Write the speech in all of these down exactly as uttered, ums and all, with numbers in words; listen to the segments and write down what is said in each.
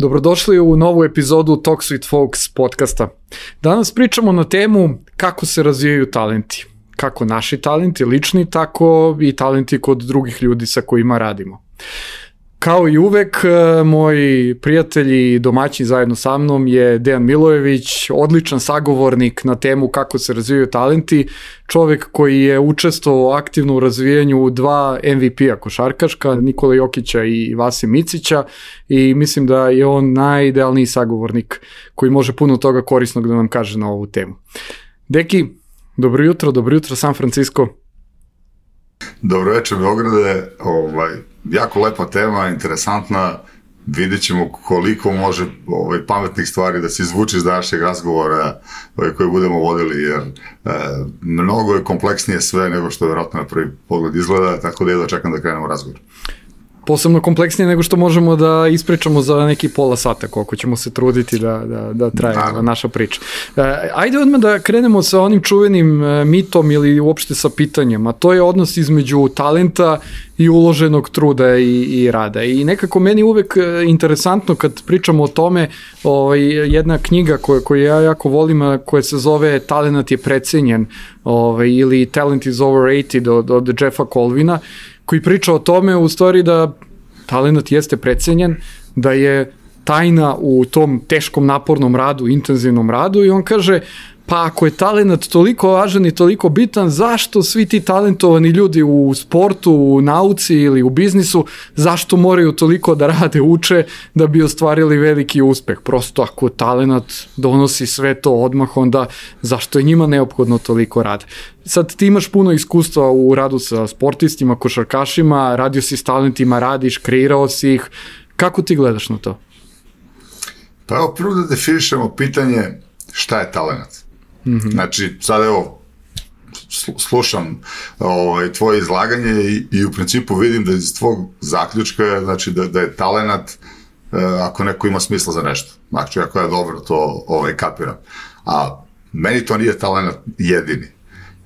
Dobrodošli u novu epizodu Talks with Folks podcasta. Danas pričamo na temu kako se razvijaju talenti. Kako naši talenti, lični, tako i talenti kod drugih ljudi sa kojima radimo. Kao i uvek, moj prijatelj i domaćin zajedno sa mnom je Dejan Milojević, odličan sagovornik na temu kako se razvijaju talenti, čovek koji je učestvovao aktivno u razvijanju dva M V P-a košarkaška, Nikola Jokića i Vase Micića, i mislim da je on najidealniji sagovornik koji može puno toga korisnog da nam kaže na ovu temu. Deki, dobro jutro, dobro jutro San Francisco. Dobro večer Beograde, ovaj, jako lepa tema, interesantna, vidjet ćemo koliko može ovaj, pametnih stvari da se izvuči iz današnjeg razgovora ovaj, koje budemo vodili, jer e, mnogo je kompleksnije sve nego što vjerojatno na prvi pogled izgleda, tako da jedva čekam da krenemo razgovor. Posebno kompleksnije nego što možemo da ispričamo za neki pola sata, koliko ćemo se truditi da, da, da traje da. naša priča. Ajde odmah da krenemo sa onim čuvenim mitom ili uopšte sa pitanjem, a to je odnos između talenta i uloženog truda i, i rada. I nekako meni uvek interesantno kad pričamo o tome, ovaj, jedna knjiga koju, koju ja jako volim, koja se zove Talenat je precenjen, ovaj, ili Talent is overrated od, od Jeffa Colvina, koji priča o tome u stvari da talenat jeste precenjen, da je tajna u tom teškom napornom radu, intenzivnom radu, i on kaže, pa ako je talenat toliko važan i toliko bitan, zašto svi ti talentovani ljudi u sportu, u nauci ili u biznisu, zašto moraju toliko da rade, uče da bi ostvarili veliki uspeh? Prosto ako talenat donosi sve to odmah, onda zašto je njima neophodno toliko rada? Sad ti imaš puno iskustva u radu sa sportistima, košarkašima, radio si s talentima, radiš, kreirao si ih. Kako ti gledaš na to? Pa evo, prvo da definišemo pitanje šta je talenat. Mm-hmm. Znači, sad evo, slušam ovaj, tvoje izlaganje i, i u principu vidim da iz tvog zaključka, znači da, da je talenat eh, ako neko ima smisla za nešto. Znači, ako ja dobro to ovaj, kapiram. A meni to nije talenat jedini.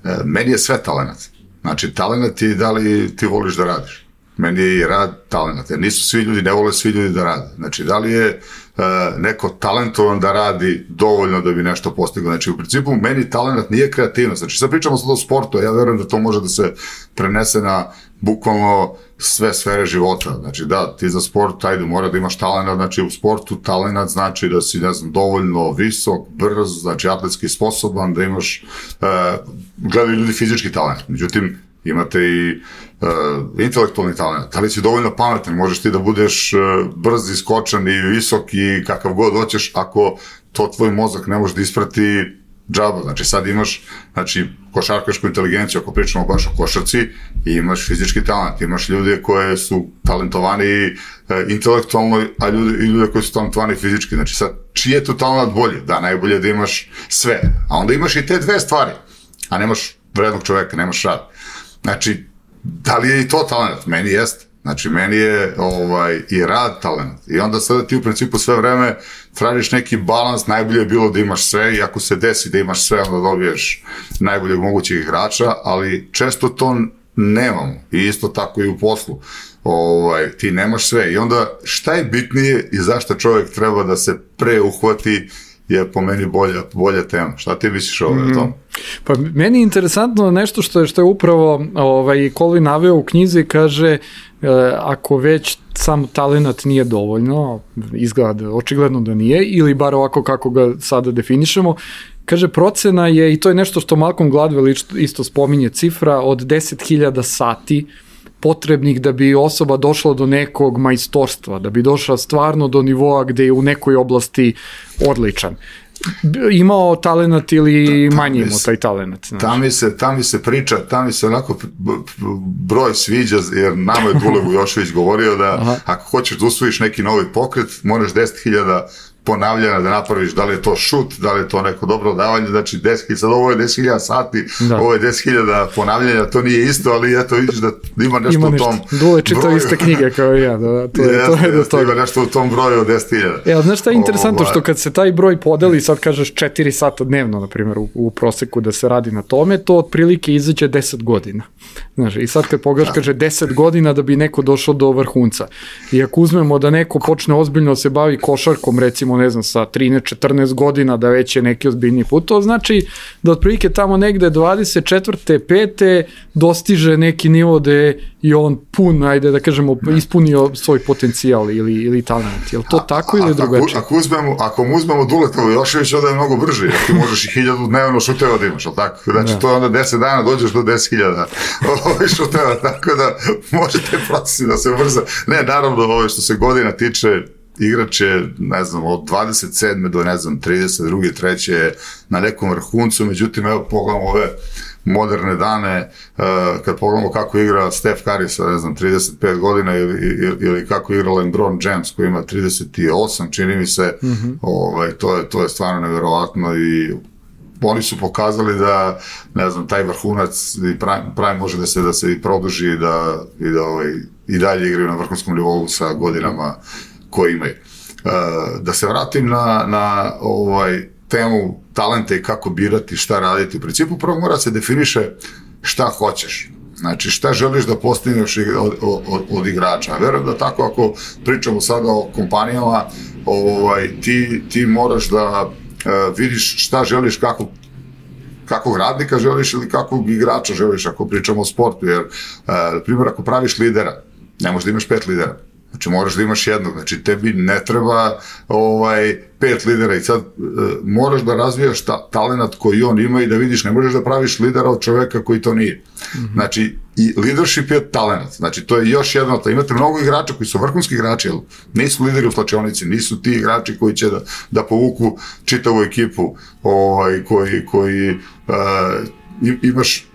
Eh, meni je sve talenat. Znači, talenat je da li ti voliš da radiš. Meni je i rad talenat, jer nisu svi ljudi, ne vole svi ljudi da rade. Znači, da li je uh, neko talentovan da radi dovoljno da bi nešto postigao? Znači, u principu, meni talenat nije kreativnost. Znači, sad pričamo sad o sportu, ja verujem da to može da se prenese na bukvalno sve sfere života. Znači, da, ti za sport, ajde, mora da imaš talenat. Znači, u sportu talenat znači da si, ne znam, dovoljno visok, brz, znači, atletski sposoban, da imaš, uh, gledaju ljudi fizički talent. Međutim, imate i uh, intelektualni talent, da li si dovoljno pametan, možeš ti da budeš uh, brz i skočan i visok i kakav god hoćeš, ako to tvoj mozak ne može da isprati džaba. Znači sad imaš, znači, košarkašku inteligenciju, ako pričamo baš o košarci, i imaš fizički talent, imaš ljude koje su talentovani uh, intelektualno, a ljude, i ljude koji su talentovani fizički. Znači sad, čiji je tu talent bolje? Da, najbolje da imaš sve, a onda imaš i te dve stvari, a nemaš vrednog čoveka, nemaš rad. Znači, da li je i to talent? Meni jeste. Znači, meni je ovaj, i rad talent. I onda sada ti u principu sve vreme tražiš neki balans, najbolje je bilo da imaš sve, i ako se desi da imaš sve, onda dobiješ najboljeg mogućeg igrača, ali često to nemamo. I isto tako i u poslu. Ovaj, ti nemaš sve. I onda šta je bitnije i zašto čovjek treba da se preuhvati je po meni bolja, bolja tema. Šta ti misliš o mm. tom? Pa meni je interesantno nešto što je, što je upravo ovaj, Colvin naveo u knjizi, kaže e, ako već sam talenat nije dovoljno, izgleda očigledno da nije, ili bar ovako kako ga sada definišemo, kaže procena je, i to je nešto što Malcolm Gladwell isto spominje, cifra od deset hiljada sati potrebnih da bi osoba došla do nekog majstorstva, da bi došla stvarno do nivoa gde je u nekoj oblasti odličan. Imao talenat ili manje imao taj talenat? Ta mi, se, ta mi se priča, ta mi se onako broj sviđa, jer nama je Dule Vujošević govorio da Aha. ako hoćeš da usvojiš neki novi pokret, moraš deset hiljada ponavljanja da napraviš, da li je to šut, da li je to neko dobro davanje, znači deset hiljada, sad ovo je deset hiljada sati, da. Ovo je deset hiljada ponavljanja, to nije isto, ali eto vidiš da ima nešto ima u tom Dule čitao iste knjige kao ja, da, da, to je, jest, to je do toga. Ima nešto u tom broju od deset hiljada. Ja, znaš šta je interesantno, što kad se taj broj podeli, sad kažeš četiri sata dnevno, na primjer, u, u proseku da se radi na tome, to otprilike izađe deset godina. Znaš, i sad kad pogledaš, kaže deset godina da bi neko došao do vrhunca. I ako uzmemo da neko počne ozbiljno se bavi košarkom, recimo, ne znam, sa trinaest četrnaest godina, da već je neki ozbiljni put, to znači da otprilike tamo negde dvadeset četvrte pete dostiže neki nivo gde je on pun, ajde da kažemo, ispunio svoj potencijal ili, ili talent. Je li to a, tako ili drugačije? Ako, uzmemo, ako mu uzmemo Duletovu Joševića, onda je mnogo brži, jer ti možeš i hiljadu dnevno šuteva da imaš, ali tako? Znači, da. To je onda deset dana, dođeš do deset hiljada šuteva, tako da možete procesi da se ubrza. Ne, naravno, ovo što se godina tiče, igrač je, ne znam, od dvadeset sedme do, ne znam, trideset druge, treće na nekom vrhuncu, međutim, evo, pogledamo ove moderne dane, uh, kad pogledamo kako igra Steph Curry sa, ne znam, trideset pet godina ili, ili, ili kako igra LeBron James koji ima trideset osam, čini mi se, mm-hmm. ovaj, to, je, to je stvarno nevjerovatno i oni su pokazali da, ne znam, taj vrhunac i prime, prime može da se, da se i produži i da, i, da ovaj, i dalje igraju na vrhunskom nivou sa godinama koje imaju. Uh, da se vratim na, na ovaj, temu talenta i kako birati, šta raditi. U principu prvo mora se definiše šta hoćeš. Znači šta želiš da postigneš od, od, od igrača. Verujem da tako ako pričamo sada o kompanijama, ovaj, ti, ti moraš da uh, vidiš šta želiš, kako kakvog radnika želiš ili kakvog igrača želiš ako pričamo o sportu. Jer, uh, na primjer, ako praviš lidera, ne možeš da imaš pet lidera. Znači moraš da imaš jednog, znači tebi ne treba ovaj, pet lidera i sad e, moraš da razvijaš ta, talent koji on ima i da vidiš, ne možeš da praviš lidera od čoveka koji to nije. Mm-hmm. Znači i leadership je talent, znači to je još jedno, to imate mnogo igrača koji su vrhunski igrači, ali nisu lideri u slačionici, nisu ti igrači koji će da, da povuku čitavu ekipu, ovaj, koji, koji e, imaš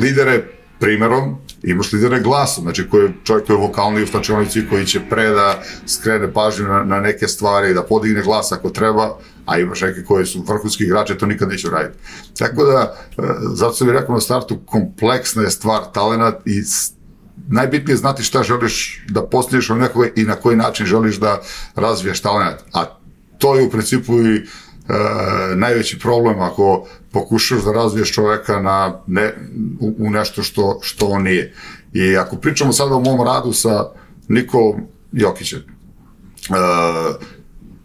lidere primerom, imaš lidere glasom, znači koji je čovjek koji je vokalni u slačionici, koji će pre da skrene pažnju na, na neke stvari, da podigne glas ako treba, a imaš neke koji su vrhunski igrači, to nikad neće raditi. Tako da, zato sam bih rekao na startu, kompleksna je stvar talent i najbitnije je znati šta želiš da postigneš u nekoj i na koji način želiš da razvijaš talent. A to je u principu i E, najveći problem ako pokušaš da razviješ čoveka na ne, u, u nešto što, što on nije. I ako pričamo sada o mom radu sa Nikolom Jokićem, e,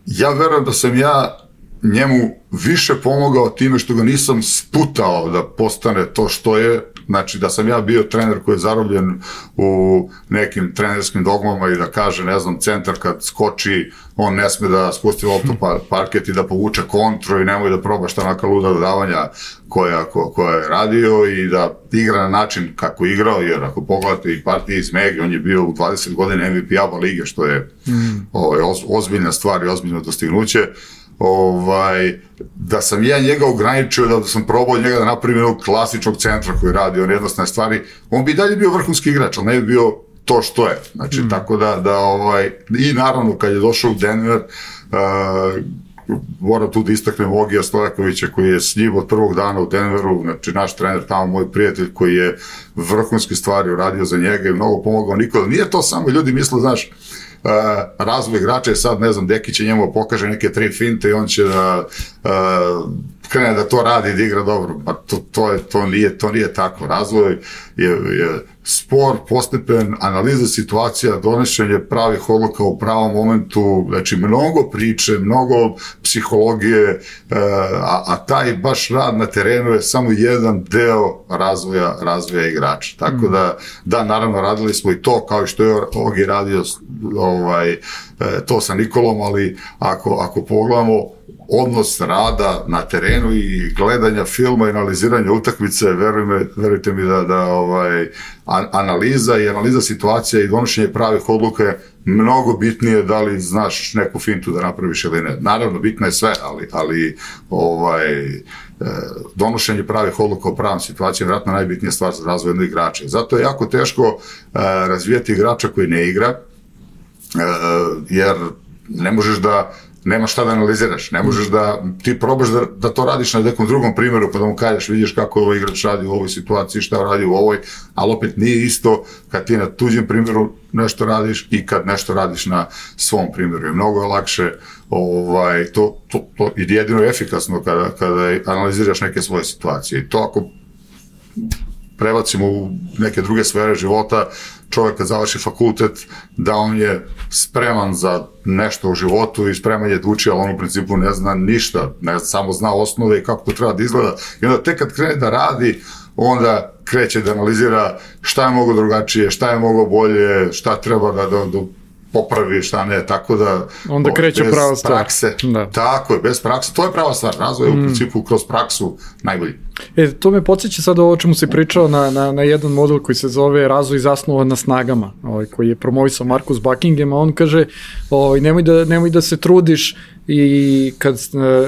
ja verujem da sam ja njemu više pomogao time što ga nisam sputao da postane to što je, znači da sam ja bio trener koji je zarobljen u nekim trenerskim dogmama i da kaže, ne znam, centar kad skoči, on ne sme da spusti loptu pa parket i da povuče kontru i nemoj da proba šta naka luda dodavanja koja, ko, koja je radio i da igra na način kako je igrao, jer ako pogledate i partije iz Megi, on je bio u dvadeset godina M V P A-ba lige, što je mm. ovaj, oz, ozbiljna stvar i ozbiljno dostignuće. Ovaj, da sam ja njega ograničio, da sam probao njega da napravim jednog klasičnog centra koji radi on jednostavne stvari, on bi dalje bio vrhunski igrač, ali ne bi bio to što je. Znači, mm. tako da, da ovaj, i naravno kad je došao u Denver, uh, moram tu da istaknem Ogija Stojakovića koji je s njim od prvog dana u Denveru, znači naš trener tamo, moj prijatelj koji je vrhunske stvari uradio za njega i mnogo pomogao Nikola. Nije to samo, ljudi misle, znaš, Uh, razvoj igrača je sad, ne znam, Deki će njemu pokaže neke tri finte i on će da uh, krene da to radi i da igra dobro. Pa to, to, je, to, nije, to nije tako. Razvoj je, je spor, postepen, analiza situacija, donošenje pravih odluka u pravom momentu, znači mnogo priče, mnogo psihologije, uh, a, a taj baš rad na terenu je samo jedan deo razvoja, razvoja igrača. Tako da, da, naravno, radili smo i to, kao i što je Ogi radio ovaj, to sa Nikolom, ali ako, ako pogledamo odnos rada na terenu i gledanja filma i analiziranja utakmice, verujme, verujte mi da, da ovaj, analiza i analiza situacija i donošenje pravih odluka je mnogo bitnije da li znaš neku fintu da napraviš ili ne. Naravno, bitno je sve, ali, ali ovaj, donošenje pravih odluka u pravom situaciji je vjerojatno najbitnija stvar za razvoj jednog igrača. Zato je jako teško razvijati igrača koji ne igra, jer ne možeš da nema šta da analiziraš, ne možeš da, ti probaš da, da to radiš na nekom drugom primjeru, pa da mu kažeš, vidiš kako ovaj igrač radi u ovoj situaciji, šta radi u ovoj, ali opet nije isto kad ti na tuđem primjeru nešto radiš i kad nešto radiš na svom primjeru. I mnogo je lakše, ovaj, to, to, to je jedino efikasno kada, kada analiziraš neke svoje situacije. I to ako prebacimo u neke druge sfere života, čovjek kad završi fakultet, da on je spreman za nešto u životu i spreman je da uči, ali on u principu ne zna ništa, ne samo zna osnove i kako to treba da izgleda. I onda tek kad krene da radi, onda kreće da analizira šta je mogo drugačije, šta je mogo bolje, šta treba da, da, da popravi, šta ne, tako da... Onda kreće prava stvar. Prakse, da. Tako je, bez prakse, to je prava stvar, razvoj mm. u principu kroz praksu najbolji. E, to me podsjeća sad ovo o čemu si pričao na, na, na jedan model koji se zove razvoj zasnovan na snagama, ovaj, koji je promovisao Marcus Buckingham, a on kaže, ovaj, nemoj, da, nemoj da se trudiš i kad,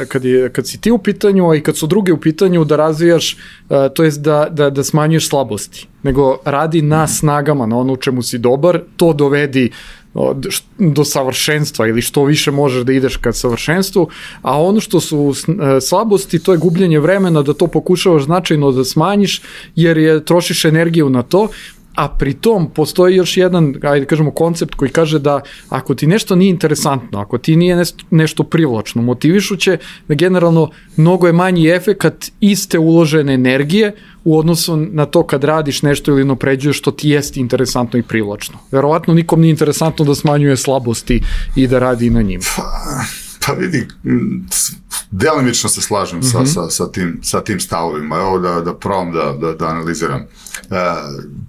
kad, je, kad si ti u pitanju, a i kad su drugi u pitanju da razvijaš, to jest da, da, da smanjuješ slabosti, nego radi na snagama, na ono u čemu si dobar, to dovedi do savršenstva ili što više možeš da ideš ka savršenstvu, a ono što su slabosti, to je gubljenje vremena da to pokušavaš značajno da smanjiš jer je trošiš energiju na to, a pri tom postoji još jedan, ajde kažemo, koncept koji kaže da ako ti nešto nije interesantno, ako ti nije nešto privlačno, motivišuće, da generalno mnogo je manji efekat iste uložene energije u odnosu na to kad radiš nešto ili napređuješ što ti jeste interesantno i privlačno. Verovatno nikom nije interesantno da smanjuje slabosti i da radi na njima. Pa, pa vidi, delimično se slažem mm-hmm. sa, sa, sa, tim, sa tim stavovima. Evo da, da probam da, da, da analiziram. E,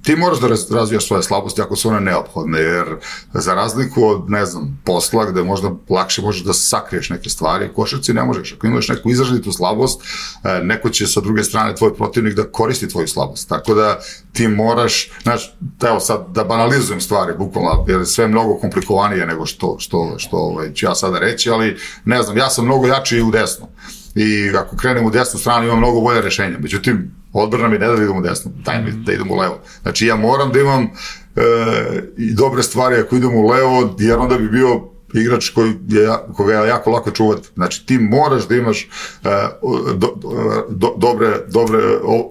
ti moraš da razvijaš svoje slabosti ako su one neophodne, jer za razliku od, ne znam, posla gde možda lakše možeš da sakriješ neke stvari, košarci ne možeš. Ako imaš neku izraženitu slabost, e, neko će sa druge strane tvoj protivnik da koristi tvoju slabost. Tako da ti moraš, znaš, evo sad da banalizujem stvari, bukvalno, jer sve je mnogo komplikovanije nego što, što, što ovaj, ću ja sada reći, ali ne znam, ja sam mnogo jači u desnu. I ako krenem u desnu stranu imam mnogo bolje rešenja. Međutim, odbrana mi ne da idem u desnu, daj mi da idem u levo. Znači ja moram da imam e, i dobre stvari ako idem u levo, jer onda bi bio igrač koji je, koga je jako lako čuvati. Znači ti moraš da imaš e, do, do, dobre, dobre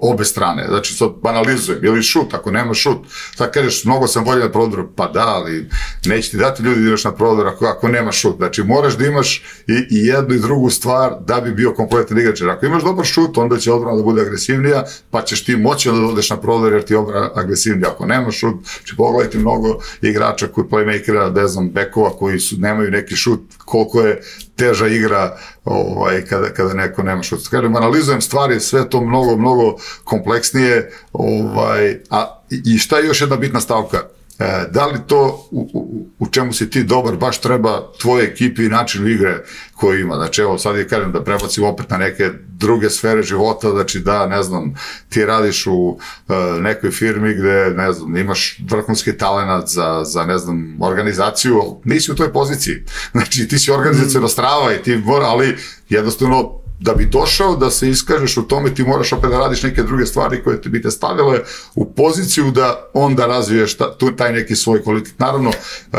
obe strane. Znači sad banalizujem, ili šut, ako nema šut, sad kažeš mnogo sam bolje na prodoru, pa da, ali neće ti dati ljudi da ideš na prodor ako, ako nema šut. Znači moraš da imaš i, i jednu i drugu stvar da bi bio kompletan igrač. Jer ako imaš dobar šut, onda će odbrana da bude agresivnija, pa ćeš ti moći da odeš na prodor jer ti je odbrana agresivnija. Ako nema šut, će pogledati mnogo igrača koji playmakera, ne znam, bekova koji su nemaju neki šut, koliko je teža igra ovaj, kada, kada neko nema šut. Kažem, analizujem stvari, sve to mnogo, mnogo kompleksnije, ovaj, a i šta je još jedna bitna stavka? E, da li to u, u, u čemu si ti dobar baš treba tvoje ekipi i načinu igre koji ima? Znači evo sad je kažem da prebacim opet na neke druge sfere života, znači da ne znam ti radiš u uh, nekoj firmi gde ne znam imaš vrhunski talenat za, za ne znam organizaciju, nisi u toj poziciji, znači ti si organizacijona strava i ti mora, ali jednostavno da bi došao da se iskažeš u tome ti moraš opet da radiš neke druge stvari koje ti bi te stavile u poziciju da onda razviješ ta, tu, taj neki svoj kvalitet. Naravno, uh,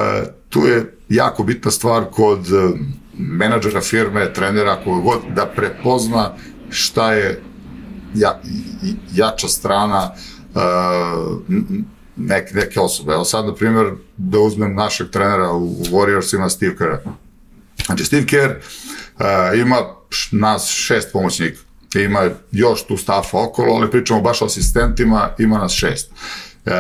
tu je jako bitna stvar kod uh, menadžera firme, trenera, koga god, da prepozna šta je ja, jača strana uh, neke, neke osobe. Evo sad, na primjer, da uzmem našeg trenera u, u Warriorsima, Steve Kerr. Znači, Steve Kerr uh, ima nas šest pomoćnika. Ima još tu stafa okolo, ali pričamo baš o asistentima, ima nas šest. Uh,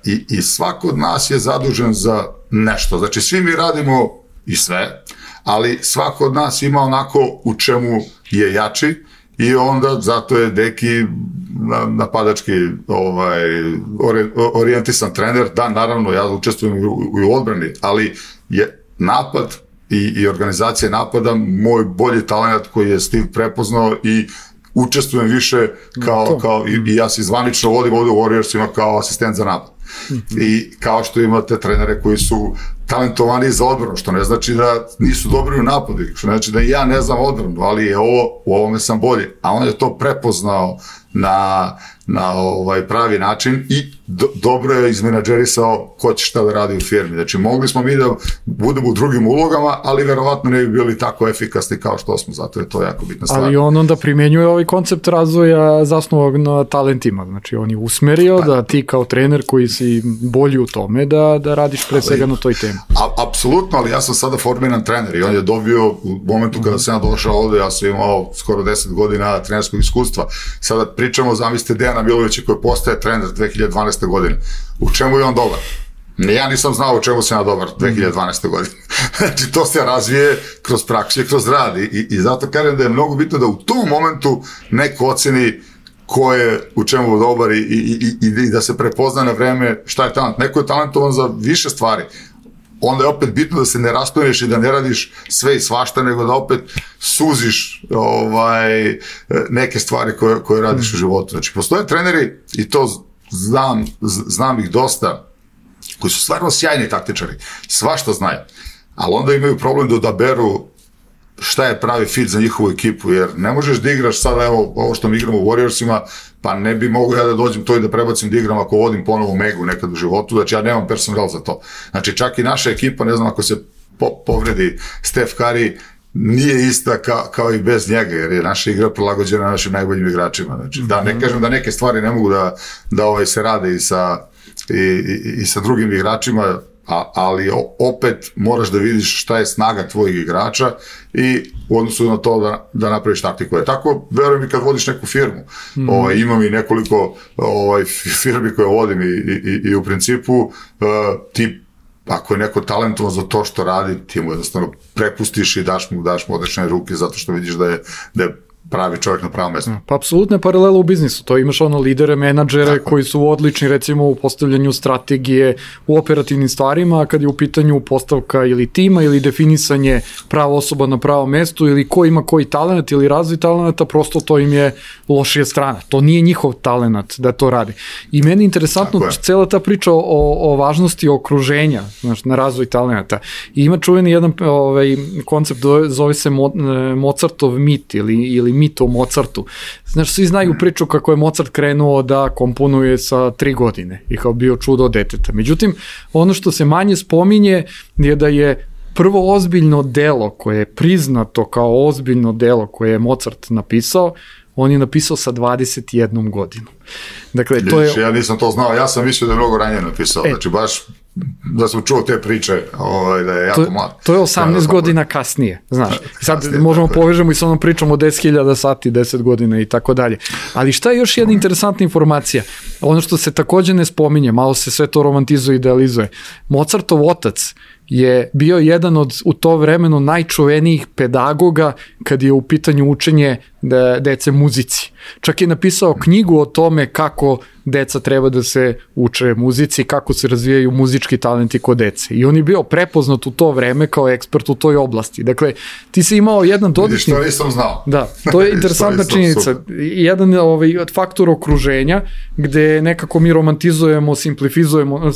i, I svako od nas je zadužen za nešto. Znači, svi mi radimo i sve, ali svako od nas ima onako u čemu je jači i onda zato je Deki napadački ovaj, orijentisan trener. Da, naravno, ja učestvujem u, u odbrani, ali je napad i, i organizacija napada moj bolji talent koji je Steve prepoznao i učestvujem više kao, kao i, i ja se zvanično vodim ovdje u Warriorsima kao asistent za napad. Mm-hmm. I kao što imate trenere koji su talentovani za odbranu, što ne znači da nisu dobri u napadu, što ne znači da ja ne znam odbranu, ali je ovo, u ovome sam bolji. A on je to prepoznao na, na ovaj pravi način i do, dobro je izmenadžerisao ko će šta da radi u firmi. Znači, mogli smo mi da budemo u drugim ulogama, ali verovatno ne bi bili tako efikasni kao što smo, zato je to jako bitna stvar. Ali on onda primenjuje ovaj koncept razvoja zasnovog na talentima, znači on je usmerio pa, da ti kao trener koji si bolji u tome da, da radiš pre svega na toj temi. A, apsolutno, ali ja sam sada formiran trener i on je dobio u momentu kada sam ja došao ovde, ja sam imao skoro deset godina trenerskog iskustva. Sada pričamo, zamislite Dejana Milovića koji postaje trener dve hiljade dvanaeste. godine. U čemu je on dobar? Ja nisam znao u čemu sam ja dobar dve hiljade dvanaeste. godine. Znači, to se razvije kroz praksu i kroz rad. I, i zato kažem da je mnogo bitno da u tom momentu neko oceni ko je u čemu je dobar i, i, i, i da se prepozna na vreme šta je talent. Neko je talentovan za više stvari. Onda je opet bitno da se ne rastoješ i da ne radiš sve i svašta, nego da opet suziš ovaj, neke stvari koje, koje radiš u životu. Znači, postoje treneri, i to znam, znam ih dosta, koji su stvarno sjajni taktičari, svašta znaju, ali onda imaju problem da odaberu šta je pravi fit za njihovu ekipu, jer ne možeš da igraš sada, evo, ovo što mi igramo u Warriorsima, pa ne bi mogu ja da dođem to i da prebacim da igram ako vodim ponovo Megu nekad u životu, znači ja nemam personal za to. Znači čak i naša ekipa, ne znam, ako se po, povredi Steph Curry, nije ista ka, kao i bez njega, jer je naša igra prilagođena našim najboljim igračima. Znači, da ne kažem da neke stvari ne mogu da, da ovaj, se rade i sa, i, i, i sa drugim igračima, A, ali opet moraš da vidiš šta je snaga tvojih igrača i u odnosu na to da, da napraviš taktiku. Tako, verujem i kad vodiš neku firmu. Mm. Ovaj, imam i nekoliko ovaj, firmi koje vodim i, i, i u principu uh, ti, ako je neko talentovan za to što radi, ti mu jednostavno prepustiš i daš mu, daš mu odlične ruke zato što vidiš da je, da je pravi čovjek na pravom mjestu. Pa apsolutno je paralela u biznisu, to imaš ono lidere, menadžere koji su odlični recimo u postavljanju strategije, u operativnim stvarima, a kad je u pitanju postavka ili tima ili definisanje prava osoba na pravom mjestu ili ko ima koji talent ili razvoj talenata, prosto to im je lošija strana. To nije njihov talent da to radi. I meni je interesantno cela ta priča o, o važnosti okruženja, znači, na razvoj talenata. I ima čuveni jedan ovaj, koncept, zove se Mo, Mozartov mit ili, ili mit o Mozartu. Znaš, svi znaju priču kako je Mozart krenuo da komponuje sa tri godine i kao bio čudo deteta. Međutim, ono što se manje spominje je da je prvo ozbiljno delo koje je priznato kao ozbiljno delo koje je Mozart napisao, on je napisao sa dvadeset jednom godinom. Dakle, to je... Ja nisam to znao, ja sam mislio da je mnogo ranije napisao, e, znači baš da sam čuo te priče, ovaj, da je jako to, mlad. To je osamnaest ja, godina kasnije, znaš. Sad kasnije, možemo povežemo i sa onom pričom o deset hiljada sati, deset godina i tako dalje. Ali šta je još jedna interesantna informacija? Ono što se takođe ne spominje, malo se sve to romantizuje i idealizuje. Mozartov otac je bio jedan od u to vremeno najčuvenijih pedagoga kad je u pitanju učenje de, dece muzici. Čak je napisao knjigu o tome kako deca treba da se uče muzici, kako se razvijaju muzički talenti kod dece. I on je bio prepoznat u to vreme kao ekspert u toj oblasti. Dakle, ti si imao jedan dodatni... Vidiš, to nisam znao. Da, to je interesantna činjenica. Jedan ovaj, faktor okruženja gde nekako mi romantizujemo, simplifizujemo,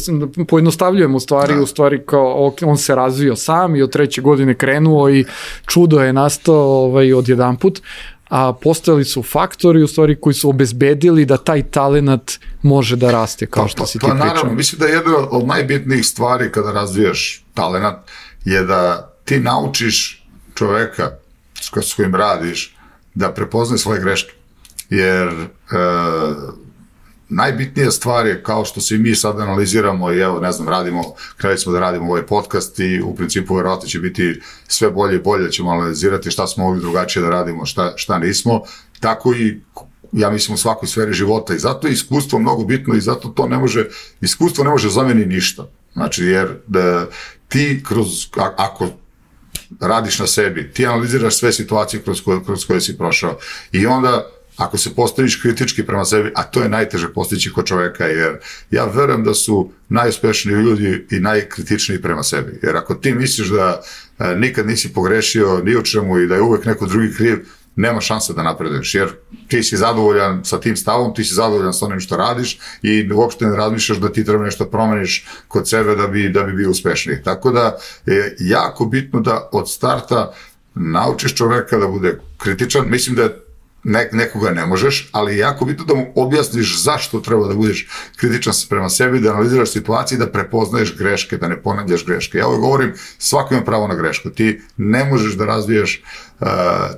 pojednostavljujemo stvari, da. U stvari kao on se razvio sam i od treće godine krenuo i čudo je nastao ovaj, od jedan put, a postojali su faktori u stvari koji su obezbedili da taj talenat može da raste, kao što pa, si ti pa, pričao. Pa naravno, mislim da je jedna od najbitnijih stvari kada razvijaš talenat je da ti naučiš čoveka s kojim radiš da prepoznaje svoje greške. Jer e, najbitnija stvar je, kao što se i mi sad analiziramo i evo, ne znam, radimo, krenuli smo da radimo ovaj podcast i u principu verovatno će biti sve bolje i bolje, ćemo analizirati šta smo mogli drugačije da radimo, šta, šta nismo, tako i ja mislim u svakoj sferi života i zato je iskustvo mnogo bitno i zato to ne može, iskustvo ne može zameniti ništa. Znači, jer da ti kroz, ako radiš na sebi, ti analiziraš sve situacije kroz koje, kroz koje si prošao i onda ako se postaviš kritički prema sebi, a to je najteže postići kod čoveka, jer ja verujem da su najuspešniji ljudi i najkritičniji prema sebi. Jer ako ti misliš da e, nikad nisi pogrešio ni u čemu i da je uvek neko drugi kriv, nema šanse da napreduješ, jer ti si zadovoljan sa tim stavom, ti si zadovoljan sa onim što radiš i uopšte ne razmišljaš da ti treba nešto promeniš kod sebe da bi, da bi bio uspešniji. Tako da je jako bitno da od starta naučiš čoveka da bude kritičan. Mislim da je ne, nekoga ne možeš, ali je jako bitno da mu objasniš zašto treba da budeš kritičan prema sebi, da analiziraš situaciju, da prepoznaješ greške, da ne ponavljaš greške. Ja ovo govorim, svako ima pravo na grešku. Ti ne možeš da razvijaš uh,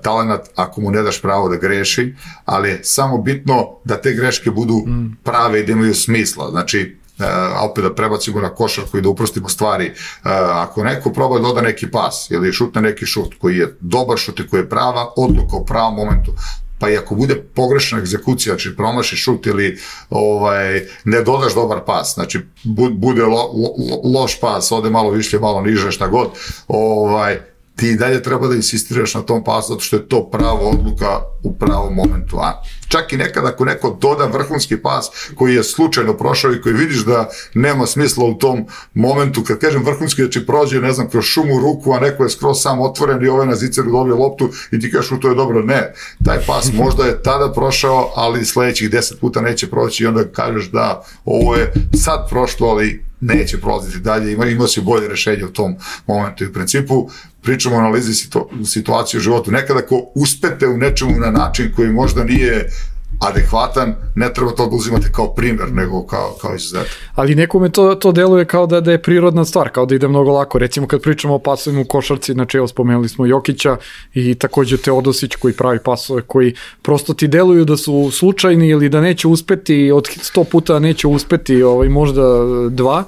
talenat ako mu ne daš pravo da greši, ali je samo bitno da te greške budu prave i da imaju smisla. Znači, Uh, a opet da prebacimo na košarku i da uprostimo stvari. Uh, ako neko proba da doda neki pas ili šutne neki šut koji je dobar šut i koji je prava odluka u pravom momentu, pa i ako bude pogrešna egzekucija, znači promaši šut ili ovaj, ne dodaš dobar pas, znači bude lo, lo, loš pas, ode malo više, malo niže, šta god, ovaj, ti i dalje treba da insistiraš na tom pasu, zato što je to prava odluka u pravom momentu. A čak i nekada ako neko doda vrhunski pas koji je slučajno prošao i koji vidiš da nema smisla u tom momentu, kad kažem vrhunski, znači prođe, ne znam, kroz šumu ruku, a neko je skroz sam otvoren i ovaj na ziceru dobije loptu i ti kažeš, to je dobro. Ne, taj pas možda je tada prošao, ali sledećih deset puta neće proći i onda kažeš da ovo je sad prošlo, ali neće prolaziti dalje, ima, ima si bolje rešenje u tom momentu. I u principu pričamo o analizi situ, situacije u životu. Nekada ako uspete u nečemu na način koji možda nije adekvatan, ne treba to da uzimate kao primer, nego kao, kao izuzetak. Ali nekome to, to deluje kao da, da je prirodna stvar, kao da ide mnogo lako. Recimo kad pričamo o pasovima u košarci, znači evo spomenuli smo Jokića i takođe Teodosić koji pravi pasove, koji prosto ti deluju da su slučajni ili da neće uspeti, od sto puta neće uspeti ovaj, možda dva,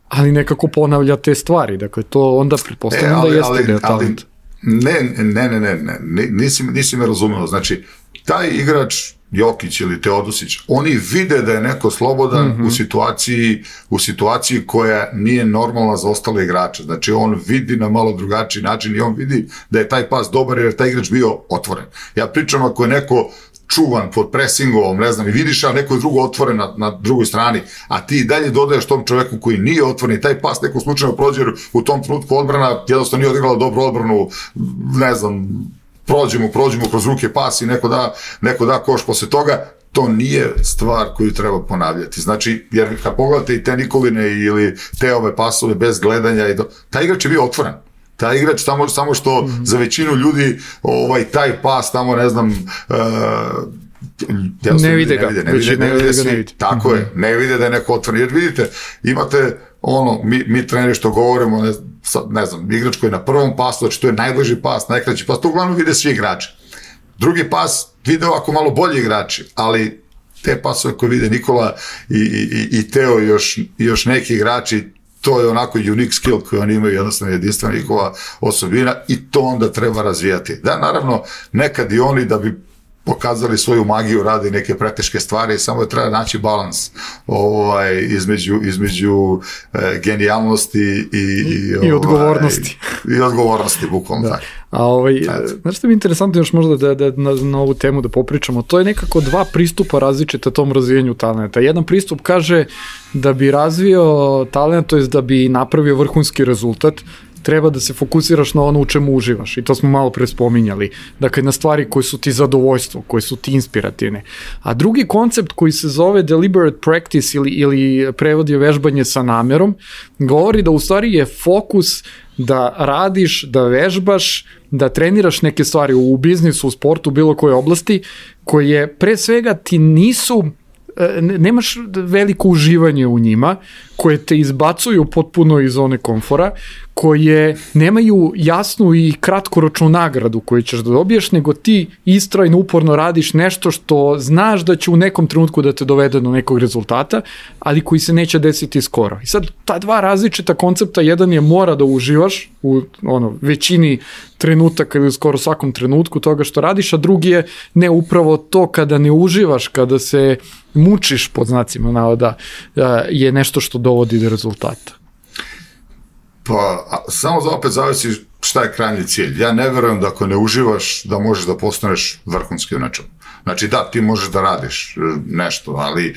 ali nekako ponavlja te stvari. Dakle, to onda pretpostavljam e, da jeste ali, deo talent. Ne, ne, ne, ne, ne, nisi, nisi me razumeo. Znači, taj igrač Jokić ili Teodosić, oni vide da je neko slobodan mm-hmm. u situaciji u situaciji koja nije normalna za ostale igrače. Znači, on vidi na malo drugačiji način i on vidi da je taj pas dobar jer je taj igrač bio otvoren. Ja pričam ako je neko čuvan pod presingovom, ne znam, i vidiš, a neko je drugo otvoren na, na drugoj strani, a ti dalje dodaješ tom čoveku koji nije otvoren i taj pas neko slučajno prođe u tom trenutku odbrana, jednostavno nije odigrala dobru odbranu, ne znam, prođemo, prođemo kroz ruke pas i neko da, neko da koš posle toga, to nije stvar koju treba ponavljati. Znači, jer kad pogledate i te Nikoline ili te ove pasove bez gledanja, i do, taj igrač je bio otvoren. Taj igrač samo, samo što mm-hmm. za većinu ljudi ovaj, taj pas tamo, ne znam, uh, ne vide ga. Ne vide, ne vide, ne vide, svi, ne vide. Tako mm-hmm. je, ne vide da je neko otvoren. Jer vidite, imate ono, mi, mi treneri što govorimo, ne, ne znam, igrač koji je na prvom pasu, znači to je najbliži pas, najkraći pas, to uglavnom vide svi igrači. Drugi pas vide ovako malo bolji igrači, ali te pasove koje vide Nikola i, i, i Teo i još, još neki igrači, to je onako unique skill koji oni imaju, jednostavno jedinstvena njihova osobina i to onda treba razvijati. Da, naravno, nekad i oni da bi pokazali svoju magiju, rade neke preteške stvari, samo je treba naći balans ovaj, između, između e, genijalnosti i, i, I, i odgovornosti. Ovaj, I odgovornosti, bukvalno da. tako. A ovaj, znaš što mi je interesantno još možda da, da na, na ovu temu da popričamo, to je nekako dva pristupa različita tom razvijenju talenta. Jedan pristup kaže da bi razvio talent, to je da bi napravio vrhunski rezultat, treba da se fokusiraš na ono u čemu uživaš i to smo malo pre spominjali, dakle na stvari koje su ti zadovoljstvo, koje su ti inspirativne. A drugi koncept koji se zove deliberate practice ili, ili prevod je vežbanje sa namerom, govori da u stvari je fokus da radiš, da vežbaš, da treniraš neke stvari u biznisu, u sportu, u bilo kojoj oblasti, koje pre svega ti nisu, nemaš veliko uživanje u njima, koje te izbacuju potpuno iz zone komfora, koje nemaju jasnu i kratkoročnu nagradu koju ćeš da dobiješ, nego ti istrajno, uporno radiš nešto što znaš da će u nekom trenutku da te dovede do nekog rezultata, ali koji se neće desiti skoro. I sad, ta dva različita koncepta, jedan je mora da uživaš u ono, većini trenutaka ili skoro svakom trenutku toga što radiš, a drugi je ne upravo to kada ne uživaš, kada se mučiš pod znacima navoda, je nešto što dovodi do rezultata. Pa, a, samo za opet zavisi šta je krajnji cilj. Ja ne verujem da ako ne uživaš da možeš da postaneš vrhunski u nečemu. Znači da, ti možeš da radiš nešto, ali e,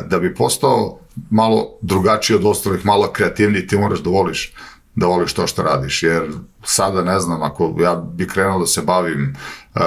da bi postao malo drugačiji od ostalih, malo kreativniji, ti moraš da voliš, da voliš to što radiš, jer sada ne znam, ako ja bi krenuo da se bavim e,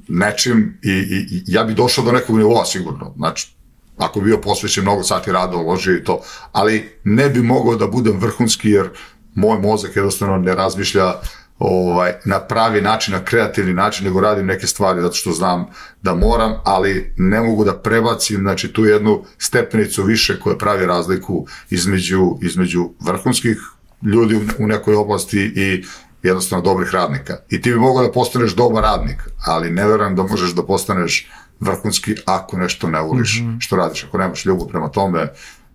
nečim i, i, i ja bi došao do nekog nivoa sigurno, znači ako bi bio posvećen mnogo sati rada, uložio i to, ali ne bi mogao da budem vrhunski jer moj mozak jednostavno ne razmišlja ovaj, na pravi način, na kreativni način, nego radim neke stvari zato što znam da moram, ali ne mogu da prebacim, znači, tu jednu stepenicu više koja pravi razliku između, između vrhunskih ljudi u nekoj oblasti i jednostavno dobrih radnika. I ti bi mogao da postaneš dobar radnik, ali ne verujem da možeš da postaneš vrhunski ako nešto ne voliš mm-hmm. što radiš. Ako nemaš ljubav prema tome,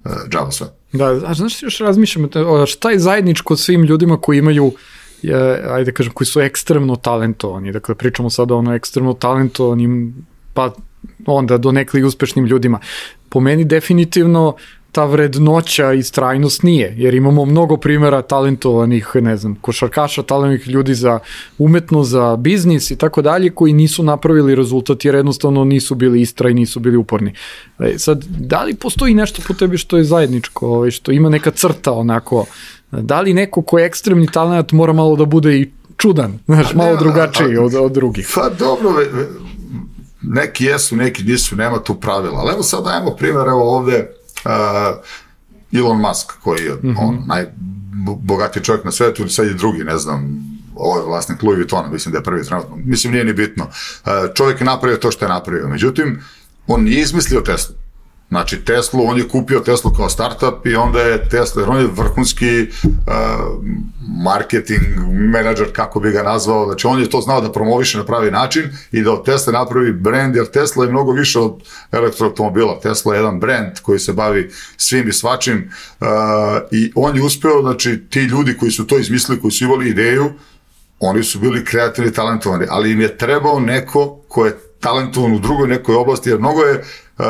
uh, džaba sve. Da, a znaš, još razmišljam, šta je zajedničko svim ljudima koji imaju, je, ajde kažem, koji su ekstremno talentovani, dakle pričamo sada o ono ekstremno talentovanim, pa onda do nekli uspešnim ljudima. Po meni definitivno ta vrednoća i strajnost nije, jer imamo mnogo primjera talentovanih, ne znam, košarkaša, talentovanih ljudi za umetnost, za biznis i tako dalje, koji nisu napravili rezultat jer jednostavno nisu bili istrajni, nisu bili uporni. E, sad, da li postoji nešto po tebi što je zajedničko, ovaj, što ima neka crta onako, da li neko ko je ekstremni talent mora malo da bude i čudan, znaš, malo drugačiji od, od drugih? Pa dobro, neki jesu, neki nisu, nema tu pravila, ali evo sad dajemo primjer, evo ovde, Uh, Elon Musk, koji je mm-hmm. on, najbogatiji čovjek na svetu, sad je drugi, ne znam, ovo je vlasnik Louis Vuittona, mislim da je prvi trenutno, mislim nije ni bitno. Uh, čovjek je napravio to što je napravio, međutim, on nije izmislio Teslu. Znači, Teslu, on je kupio Teslu kao startup i onda je Tesla, jer on je vrhunski uh, marketing menadžer, kako bi ga nazvao, znači on je to znao da promoviše na pravi način i da od Tesla napravi brand, jer Tesla je mnogo više od elektroautomobila. Tesla je jedan brand koji se bavi svim i svačim uh, i on je uspeo, znači, ti ljudi koji su to izmislili, koji su imali ideju, oni su bili kreativni, talentovani, ali im je trebao neko ko je talentovan u drugoj nekoj oblasti, jer mnogo je uh,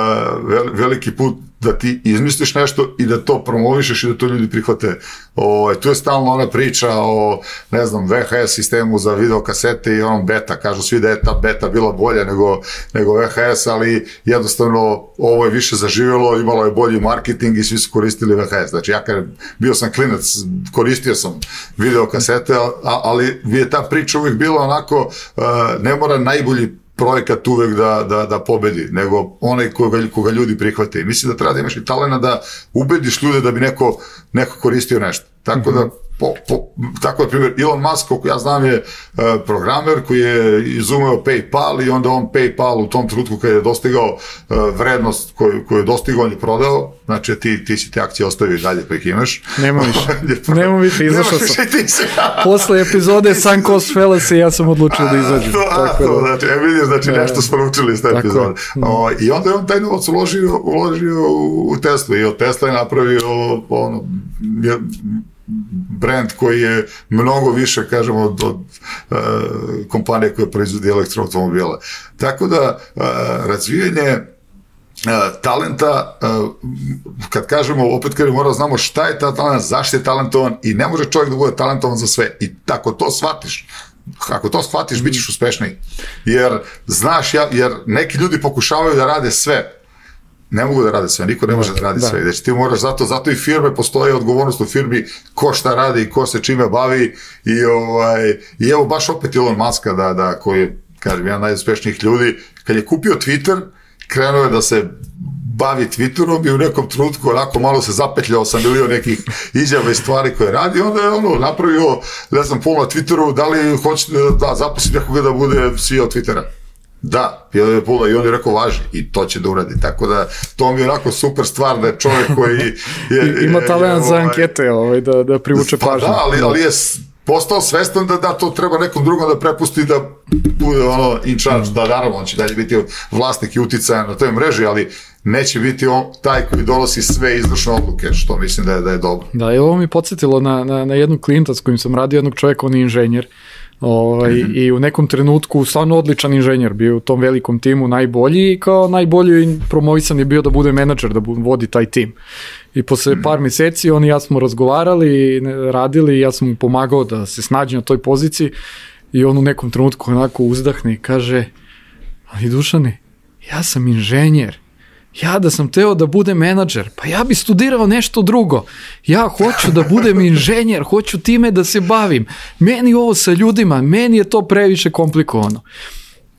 veliki put da ti izmisliš nešto i da to promovišeš i da to ljudi prihvate. O, tu je stalno ona priča o, ne znam, V H S sistemu za videokasete i onom beta. Kažu svi da je ta beta bila bolja nego, nego V H S, ali jednostavno ovo je više zaživjelo, imalo je bolji marketing i svi su koristili V H S. Znači ja kad bio sam klinac, koristio sam videokasete, ali je ta priča uvijek bila onako, uh, ne mora najbolji projekat uvek da, da, da pobedi, nego onaj koga, koga ljudi prihvate. I mislim da treba da imaš i talena da ubediš ljude da bi neko, neko koristio nešto. Tako da, po, po, tako je primjer, Elon Musk, koliko ja znam, je uh, programer koji je izumeo PayPal i onda on PayPal u tom trenutku kada je dostigao uh, vrednost koju, koju je dostigao, on je prodao, znači ti, ti si te akcije ostavio i dalje pa ih imaš. Nema više, nema više, izašao sam. Posle epizode Sunk Cost Fallacy ja sam odlučio da izađem. Tako da, znači, e, vidiš, znači nešto smo naučili iz te epizode. O, I onda je on taj novac uložio, uložio u Tesla i od Tesla je napravio ono, brand koji je mnogo više, kažemo, od, od uh, kompanije koje proizvodi elektroautomobile. Tako da, uh, razvijanje uh, talenta, uh, kad kažemo, opet kad mora znamo šta je ta talent, zašto je talentovan i ne može čovjek da bude talentovan za sve. I tako to shvatiš, ako to shvatiš, bit ćeš uspešniji. Jer, znaš, ja, jer neki ljudi pokušavaju da rade sve, ne mogu da rade sve, niko ne može da radi da. sve. Znači ti moraš, zato, zato i firme postoje odgovornost u firmi ko šta radi i ko se čime bavi i, ovaj, i evo baš opet Elon Muska da, da, koji je, kažem, jedan najuspešnijih ljudi, kad je kupio Twitter, krenuo je da se bavi Twitterom i u nekom trenutku onako malo se zapetljao sa milion nekih izjava i stvari koje radi, onda je ono napravio, ne znam, pol na Twitteru, da li hoćete da zaposli nekoga da bude C E O Twittera. Da, i on je rekao važi i to će da uradi, tako da to mi je onako super stvar da je čovjek koji je, ima talent za ankete ovaj, da, da privuče pa pažnju. Da, ali, ali je postao svestan da, da to treba nekom drugom da prepusti da bude ono in charge, mm. da naravno on će dalje biti vlasnik i uticajan na toj mreži, ali neće biti on taj koji donosi sve izvršne odluke, što mislim da je, da je dobro. Da, i ovo mi podsjetilo na, na, na jednog klijenta s kojim sam radio, jednog čovjeka, on je inženjer. Ovaj, mm-hmm. I u nekom trenutku stvarno odličan inženjer, bio u tom velikom timu najbolji i kao najbolji promovisan je bio da bude menadžer, da vodi taj tim. I posle mm-hmm. par mjeseci on i ja smo razgovarali, radili i ja sam mu pomagao da se snađe na toj poziciji i on u nekom trenutku onako uzdahne i kaže, ali Dušane, ja sam inženjer. Ja da sam teo da budem menadžer, pa ja bi studirao nešto drugo. Ja hoću da budem inženjer, hoću time da se bavim. Meni ovo sa ljudima, meni je to previše komplikovano.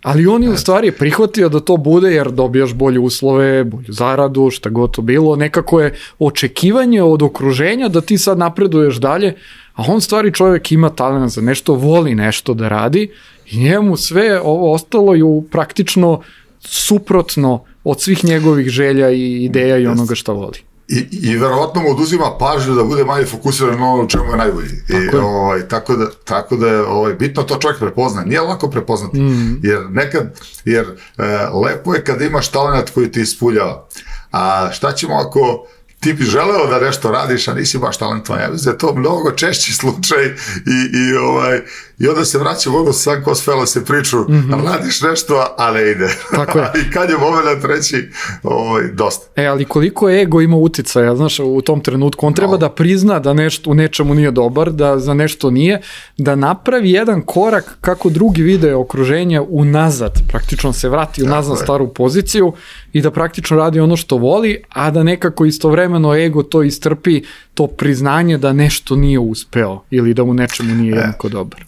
Ali on je u stvari prihvatio da to bude jer dobijaš bolje uslove, bolju zaradu, šta god to bilo. Nekako je očekivanje od okruženja da ti sad napreduješ dalje, a on stvari čovjek ima talent za nešto, voli nešto da radi i njemu sve ovo ostalo je praktično suprotno od svih njegovih želja i ideja i onoga šta voli. I, i verovatno mu oduzima pažnju da bude manje fokusiran na ono u čemu je najbolji. Tako, I, je. Ovaj, tako da, tako da je ovaj, bitno to čovjek prepozna. Nije lako prepoznati, mm. jer nekad, jer e, lepo je kada imaš talent koji ti ispuljava. A šta ćemo ako ti bi želeo da nešto radiš, a nisi baš talentovan. Ja mislim da je to mnogo češći slučaj i, i, ovaj, i onda se vraćamo ono sam ko s fela se priču, mm-hmm. radiš nešto, a ne ide. Tako je. I kad je moment reći, ovaj, dosta. E, ali koliko ego ima uticaja, znaš, u tom trenutku, on treba no. da prizna da nešto u nečemu nije dobar, da za nešto nije, da napravi jedan korak kako drugi vide okruženje unazad, praktično se vrati unazad na staru poziciju i da praktično radi ono što voli, a da nekako istovremeno ego to istrpi, to priznanje da nešto nije uspeo ili da u nečemu nije jednako dobar.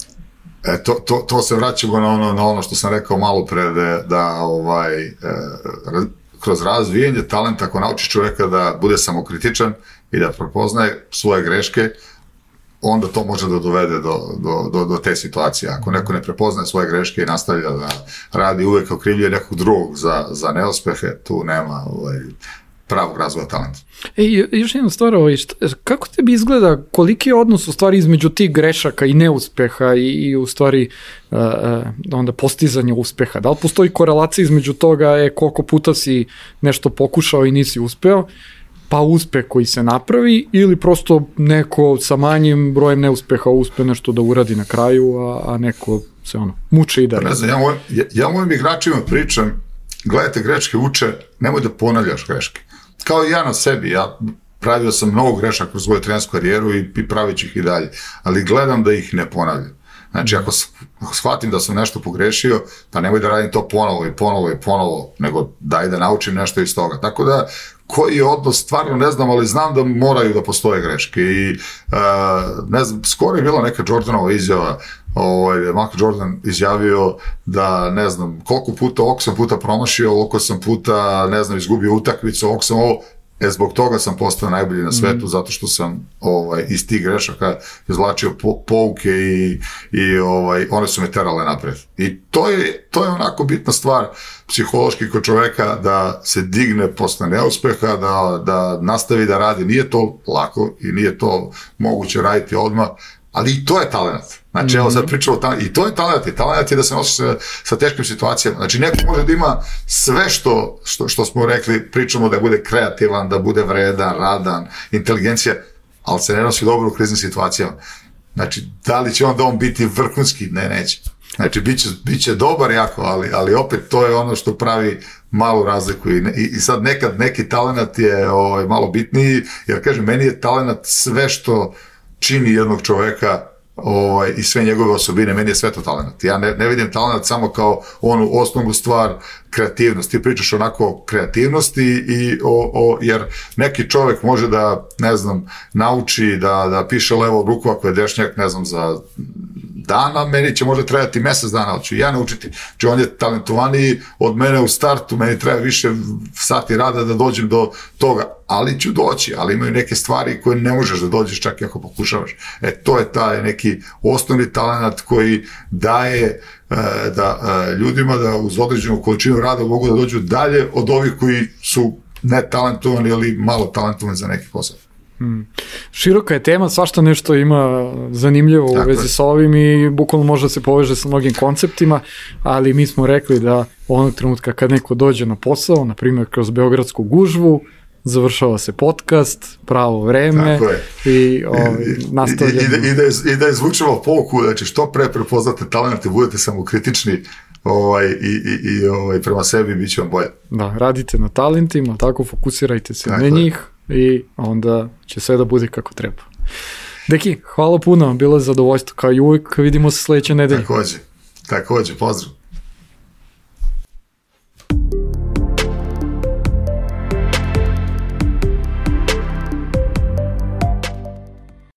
E, to, to, to se vraćamo na ono, na ono što sam rekao malo pre, da, da ovaj, e, kroz razvijenje talenta, ako naučiš čovjeka da bude samokritičan i da prepoznaje svoje greške, onda to može da dovede do, do, do, do te situacije. Ako neko ne prepoznaje svoje greške i nastavlja da radi uvek okrivljuje nekog drugog za, za neuspehe, tu nema ovaj, pravog razvoja talenta. E, još jedna stvar, ovaj, šta, kako tebi izgleda, koliki je odnos u stvari između tih grešaka i neuspeha i, i u stvari uh, onda postizanja uspeha? Da li postoji korelacija između toga e, koliko puta si nešto pokušao i nisi uspeo, pa uspeh koji se napravi, ili prosto neko sa manjim brojem neuspeha uspe nešto da uradi na kraju, a, a neko se ono muče i da ne znam, ja, moj, ja, ja mojim igračima pričam, gledajte, greške uče, nemoj da ponavljaš greške. Kao i ja na sebi, ja pravio sam mnogo grešaka kroz svoju trenersku karijeru i, i pravit ću ih i dalje, ali gledam da ih ne ponavljam. Znači, ako, ako shvatim da sam nešto pogrešio, pa nemoj da radim to ponovo i ponovo i ponovo, nego daj da naučim nešto iz toga. Tako da, koji je odnos, stvarno ne znam, ali znam da moraju da postoje greške. I, uh, ne znam, skoro je bila neka Jordanova izjava, ovaj, Michael Jordan izjavio da, ne znam, koliko puta, ovog sam puta promašio, koliko sam puta, ne znam, izgubio utakmicu, ovog sam ovo, e, zbog toga sam postao najbolji na svetu, mm. zato što sam ovaj, iz tih grešaka izvlačio po, pouke i, i ovaj, one su me terale napred. I to je, to je onako bitna stvar psihološki kod čoveka da se digne posle neuspeha, da, da nastavi da radi. Nije to lako i nije to moguće raditi odmah, ali i to je talent. Znači, mm-hmm. evo sad pričamo o talentu, i to je talent, i talent je da se nosi sa, sa teškim situacijama. Znači, neko može da ima sve što, što, što smo rekli, pričamo da bude kreativan, da bude vredan, radan, inteligencija, ali se ne nosi dobro u kriznim situacijama. Znači, da li će onda on biti vrhunski? Ne, neće. Znači, bit će, bit će dobar jako, ali, ali opet to je ono što pravi malu razliku. I, i, i sad nekad neki talent je ovaj, malo bitniji, jer kažem, meni je talent sve što čini jednog čoveka ovaj, i sve njegove osobine, meni je sve to talent. Ja ne, ne vidim talent samo kao onu osnovnu stvar, kreativnost. Ti pričaš onako o kreativnosti i o, o, jer neki čovek može da, ne znam, nauči da, da piše levo ruku ako je dešnjak, ne znam, za dana, meni će možda trebati mesec dana, ali ću ja naučiti. Znači, on je talentovaniji od mene u startu, meni treba više sati rada da dođem do toga, ali ću doći, ali imaju neke stvari koje ne možeš da dođeš čak i ako pokušavaš. E, to je taj neki osnovni talent koji daje e, da e, ljudima da uz određenu količinu rada mogu da dođu dalje od ovih koji su netalentovani ili malo talentovani za neki posao. Hmm. Široka je tema, svašta nešto ima zanimljivo u vezi sa ovim i bukvalno može da se poveže sa mnogim konceptima, ali mi smo rekli da onog trenutka kad neko dođe na posao, na primjer kroz beogradsku gužvu, završava se podcast, pravo vreme i ovaj, nastavljamo. I, i, i, da, i da izvučemo pouku, znači što pre prepoznate talente, budete samokritični ovaj, i, i, i ovaj, prema sebi bit će vam bolje. Da, radite na talentima, tako fokusirajte se tako na njih i onda će sve da bude kako treba. Deki, hvala puno, bilo je zadovoljstvo kao i uvijek, vidimo se sledeće nedelje. Takođe, takođe, pozdrav.